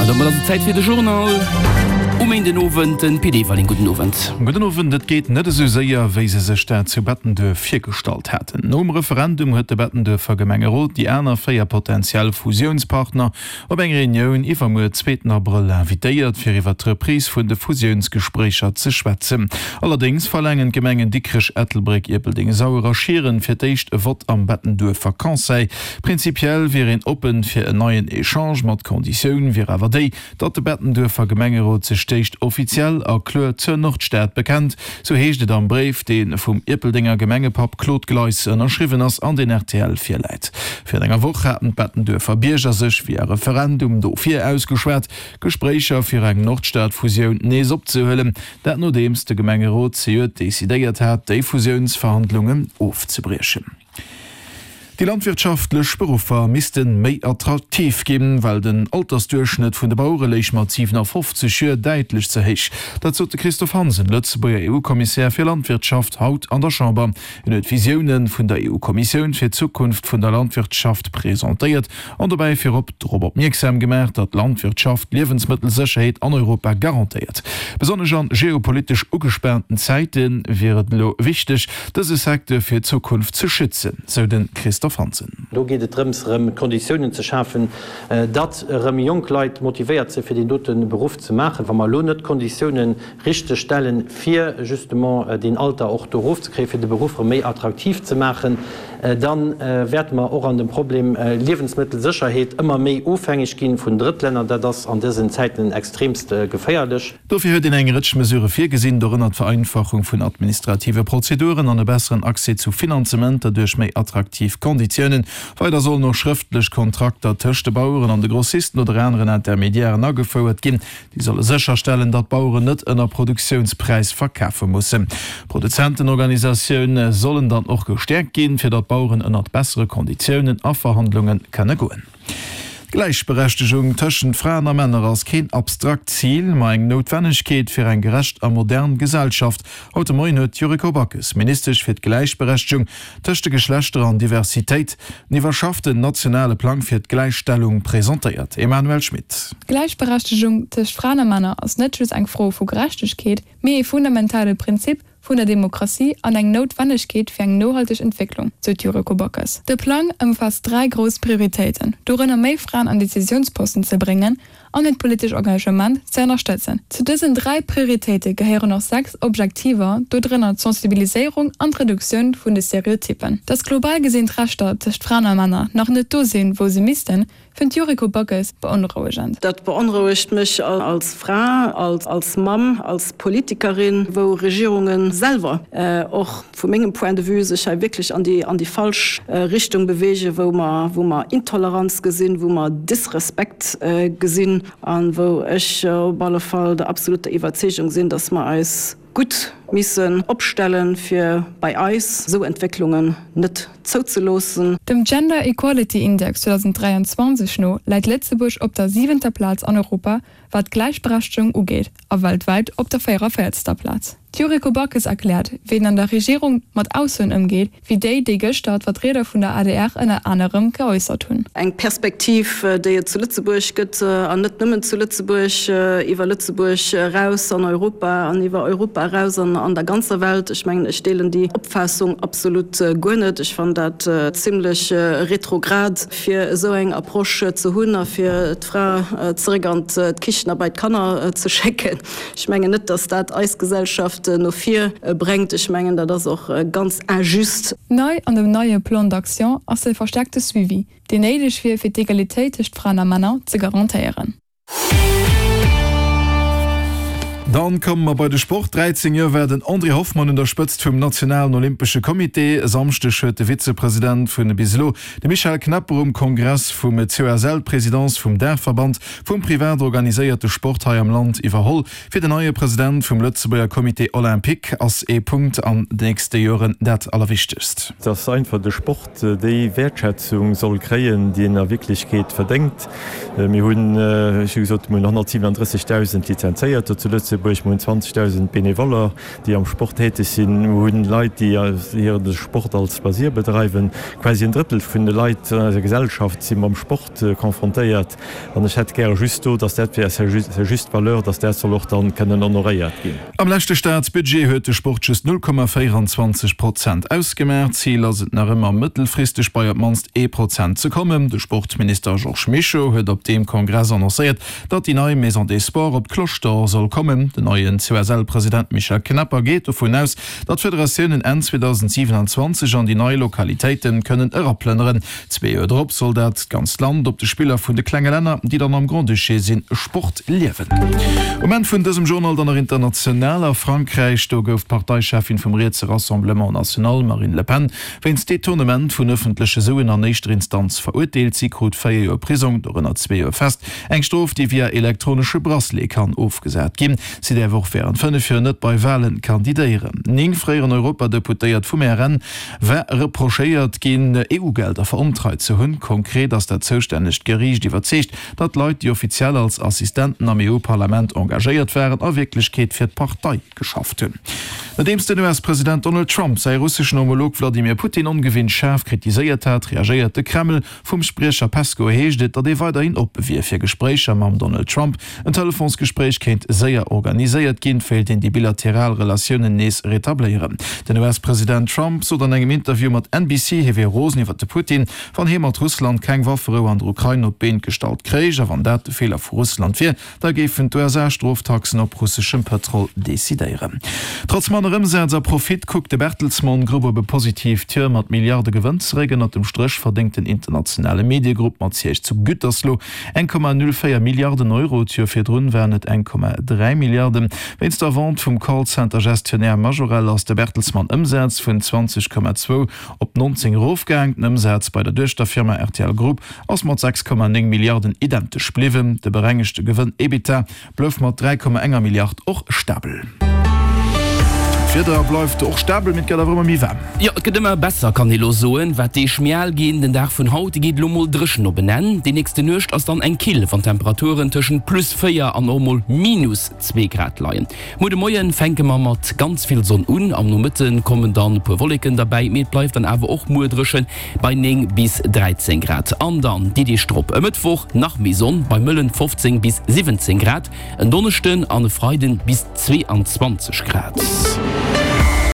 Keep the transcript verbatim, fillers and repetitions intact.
Domat ass et Zäit fir de Journal um Méindenowend. Den Pit Everling, gudden Owend. Gudden Owend. Et geet net esou séier, wéi se sech dat zu Bettenduerf virgestallt haten. Nom Referendum huet de Bettenduerfer Gemengerot déi aner véier potentiell Fusiounspartner op eng Reunioun iwwermuer, zweeten Abrëll, invitéiert, fir iwwer d'Reprise vun de Fusiounsgespréicher ze schwätzen. Allerdéngs verlaangen d'Gemengen Dikrech, Ettelbréck, Ierpeldeng, Sauer a Schieren fir d'éischt e Vott am Bettenduerfer Conseil. Prinzipiell wier een oppen fir en neien Echange, ma d'Konditioun wier awer déi, datt de Bettenduerfer Gemengerot sech d'éischt offiziell a kloer zur Nordstad bekennt, sou heescht et am Bréif, dee vum Ierpeldenger Gemengepapp Claude Gleis ënnerschriwwen ass an deen rtl virläit. Virun enger Woch haten d'Bettenduerfer Bierger sech via Referendum dofir ausgeschwat, Gespréicher fir eng Nordstad-Fusioun nees opzehuelen. Dat nodeems de Gemengerot zejoert decidéiert hat, déi Fusiounsverhandlungen ofzebriechen. Déi landwirtschaftlech Beruffer misste méi attraktiv ginn, well den Altersduerchschnëtt vun de Bauere léich mat siwenafofzeg Joer däitlech ze héich. Dat sot de Christophe Hansen, Lëtzebuerger EU-Kommissär fir Landwirtschaft, haut an der Chamber. Hien huet d'Visioune vun der EU-Kommissioun fir d'Zukunft vun der Landwirtschaft presentéiert an dobäi virop drop opmierksam gemaach, datt d'Landwirtschaft d'Liewensmëttelsécherheet an Europa garantéiert. Besonnesch an geopolitesch ugespaanten Zäite wier et elo wichteg, dëse Secteur fir d'Zukunft ze schützen, sou de Christophe Hansen. Do geet et drëms, erëm d'Konditiounen ze schafen, datt erëm jonk Leit motivéiert sinn, fir deen dote Beruff ze maachen. Wa mer elo net d'Konditiounen richteg stellen, fir justement deen Alter och do erofzekréien, fir de Beruff erëm méi attraktiv ze maachen, da wäerte mer och an dem Problem Liewensmëttelsécherheet ëmmer méi ofhängeg gi vun Drëttlänner. Dat ass an dësen Zäiten extremst geféierlech. Dofir huet een eng Rëtsch Mesurë virgesinn, dorënner d'Vereinfachung vun administrative Prozeduren an e besseren Accès zu Finanzementer duerch méi attraktiv Konditiounen. Weider sollen och schrëftlech Kontrakter tëscht de Baueren an de Grossisten oder aneren Intermediairen agefouert ginn. Déi solle sécherstellen, datt d'Baueren net ënner Produktiounspräis verkafe mussen. D'Produzentenorganisatioune sollen dann och gestäerkt ginn, fir datt d'Baueren ënnert bessere Konditiounen a Verhandlunge kënne goen. D'Gläichberechtegung tëschent Fraen a Männer ass keen abstrakt Zil, ma eng Noutwennegkeet fir eng gerecht a modern Gesellschaft. Haut de Moien huet d'Yuriko Backes, Ministesch fir d'Gläichberechtegung tëscht de Geschlechter an Diversitéit, den iwwerschafften nationale Plang fir d'Gläichstellung presentéiert. Emmanuelle Schmit. D'Gläichberechtegung tëscht Fraen a Männer ass net just eng Fro vu Gerechtegkeet, mee e fundamentale Prinzip vun der Demokratie an eng Noutwennegkeet fir eng nohalteg Entwécklung, sou d'Yuriko Backes. De Plang ëmfaasst dräi grouss Prioritéiten, dorënner méi Fraen an Decisiounsposten ze bréngen an hiert politesch Engagement ze ënnerstëtzen. Zu dësen dräi Prioritéite gehéieren och sechs Objektiver, dodrënner d'Sensibiliséierung an d'Reduktioun vun de Stereotyppen. Dass global gesinn d'Rechter tëscht Fraen a Männer nach net do sinn, wou se missten, Fënnt d'Yuriko Backes beonrouegend. Dat beonrouegt mech als Fra, als Mamm, als Politikerin, wou Regierunge selwer och vu mengem Point de vue sech hei wierklech an déi falsch Richtung beweegen, wou mer Intoleranz gesinn, wou mer Disrespekt gesinn a wou ech op alle Fall der absoluter Iwwerzeegung sinn, datt mer eis gutt missen opstellen, fir bei eis esou Entwécklungen net zouzeloossen. Dem Gender Equality Index zweedausenddräianzwanzeg no läit Lëtzebuerg op der siwenter Plaz an Europa, wat d'Gläichberechtegung ugeet, a weltwäit op der véierervéierzter Plaz. D'Yuriko Backes erkläert, wéi een an der Regierung mat Aussoen ëmgeet, wéi déi, déi gëschter d'Vertrieder vun der adr ënner anerem geäussert hunn. Eng Perspektiv, déi et zu Lëtzebuerg gëtt, an net nëmmen zu Lëtzebuerg, iwwer Lëtzebuerg eraus an Europa an iwwer Europa eraus an an der ganzer Welt. Ech mengen, ech deelen déi Opfaassung absolut guer net. Ech fannen dat zimlech retrograd, fir esou eng Approche ze hunn a fir d'Fra zeréck an d'Kichen a bei d'Kanner ze schécken. Ech mengen net, datt dat eis Gesellschaft no vir bréngt. Ech mengen, dat ass och ganz injuste. Nei an dem neie Plan d'action ass de verstäerkte Suivi, deen néideg wier, fir d'Egalitéit tëscht Fraen a Männer ze garantéieren. Dann komme mer bei de Sport. dräizéng Joer war den André Hoffmann un der Spëtzt vum nationalen Olympesche Comité. E Samschdeg huet de Vizepresident vun bis elo, de Michel Knepper, um Kongress vum C O S L d'Presidence vum Daachverband vum privat organiséierte Sport hei am Land iwwerholl. Fir den neie President vum Lëtzebuerger Comité Olympique ass ee Punkt an de nächste Joren dat Allerwichtegst. Dass einfach de Sport déi Wäertschätzung soll kréien, déi en a Wierklechkeet verdéngt. Mir hunn, ech hu gesot, mir hunn honnertsiwenundrëssegdausend Lizenzéierter zu Lëtzebuerg. Lëtzebuerg, mir hunn zwanzegdausend Benevoller, déi am Sport täteg sinn, mir hunn Leit, déi hire Sport als Loisir bedreiwen. Quasi en Drëttel vun de Leit an eiser Gesellschaft si mam Sport confrontéiert. An ech hätt gäre just do, dass dat fir à sa juste valeur, dass dat soll och dann kënnen honoréiert ginn. Am leschte Staatsbudget huet de Sport just null Komma véierundzwanzeg Prozent ausgemaach. Zil ass et nach ëmmer, mëttelfristeg bei op d'mannst ee Prozent ze kommen. De Sportminister Georges Mischo huet op deem Kongress annoncéiert, datt déi nei Maison des Sports op d'Cloche d'Or soll kommen. Den neien C O S L-President Michel Knepper geet dovun aus, datt d'Federatiounen Enn zweedausendsiwenanzwanzeg an déi nei Lokalitéite kënnen eraplënneren. Zwee Joer drop soll dat ganzt Land op de Spiller vun de klenge Länner, déi dann am Grand-Duché sinn, Sport liewen. Um Enn vun dësem Journal dann nach international, A Frankräich, do gouf d'Parteicheffin vum rietse Rassemblement National, Marine Le Pen, wéinst Detournement vun ëffentleche Suen an éischter Instanz verurteelt. Si krut véier Joer Prisong, dorënner zwee Joer fest, eng Strof, déi via elektronesche Bracelet kann ofgesat ginn. Si däerf och wärend fënnef Joer net bei Walen kandidéieren. Néng fréieren Europadeputéiert vum R N war reprochéiert ginn, E U-Gelder verontreit ze hunn. Konkret ass dat zoustännegt Geriicht iwwerzeegt, datt Leit, déi offiziell als Assistenten am E U-Parlament engagéiert waren, a Wierklechkeet fir d'Partei geschafft hunn. Nodeems den U S-President Donald Trump säi russeschen Homolog Wladimir Putin ongewinnt schaarf kritiséiert hat, reagéiert de Kreml. Vum Spriecher Peskow heescht et, datt ee weiderhin oppe wier fir Gespréicher mam Donald Trump. En Telefonsgespréich kéint séier organiséiert ginn, wéilt een déi bilateral Relatiounen nees retabléieren. Den U S-President Trump sot an engem Interview mat N B C, hie wier rosen iwwer de Putin, wann hie mat Russland keng Wafferou an der Ukrain op d'Been gestallt kréich, a wann dat de Feeler vu Russland wier, da géifen d'U S A Stroftaxen op russeschem Pëtrol decidéieren. Trotz manner Ëmsaz a Profit kuckt de Bertelsmann Group op e positiivt Joer mat Milliarde Gewënn zeréck. Ënnert dem Stréch verdéngt den internationale Mediegrupp mat Siège zu Gütersloh eng Komma null véier Milliarden Euro, d'Joer virdrun waren et eng Komma dräi Milliarden. Wéinst der Vente vum Callcenter-Gestionnaire Majorel ass de Bertelsmann Ëmsaz vun zwanzeg Komma zwou op nonzéng erofgaang. Den Ëmsaz bei der Duechterfirma R T L Group ass mat sechs Komma néng Milliarden identesch bliwwen. De berengegte Gewënn EBITDA blouf mat dräi Komma enger Milliard och stabel. D'Wieder bleift och stabel, mee et gëtt awer ëmmer méi waarm. Jo, et gëtt ëmmer besser, kann ee lo soen. Wat d'Deeg méi al ginn, den Dag vun haut geet lo mol dréchen op en Enn. Déi nächste Nuecht ass dann eng kill, wann d'Temperaturen tëschent plus véier an och mol minus zwee Grad leien. Muer de Moien fänke mer mat ganz vill Sonn un, am Nomëtte kommen dann e puer Wolleken derbäi, mee et bleift dann awer och muer dréchen bei néng bis dräizéng Grad. An dann déi Deeg drop, e Mëttwoch, nach méi Sonn bei mëllen fofzéng bis siwwenzéng Grad, en Donneschden an e Freiden bis zweeanzwanzeg Grad.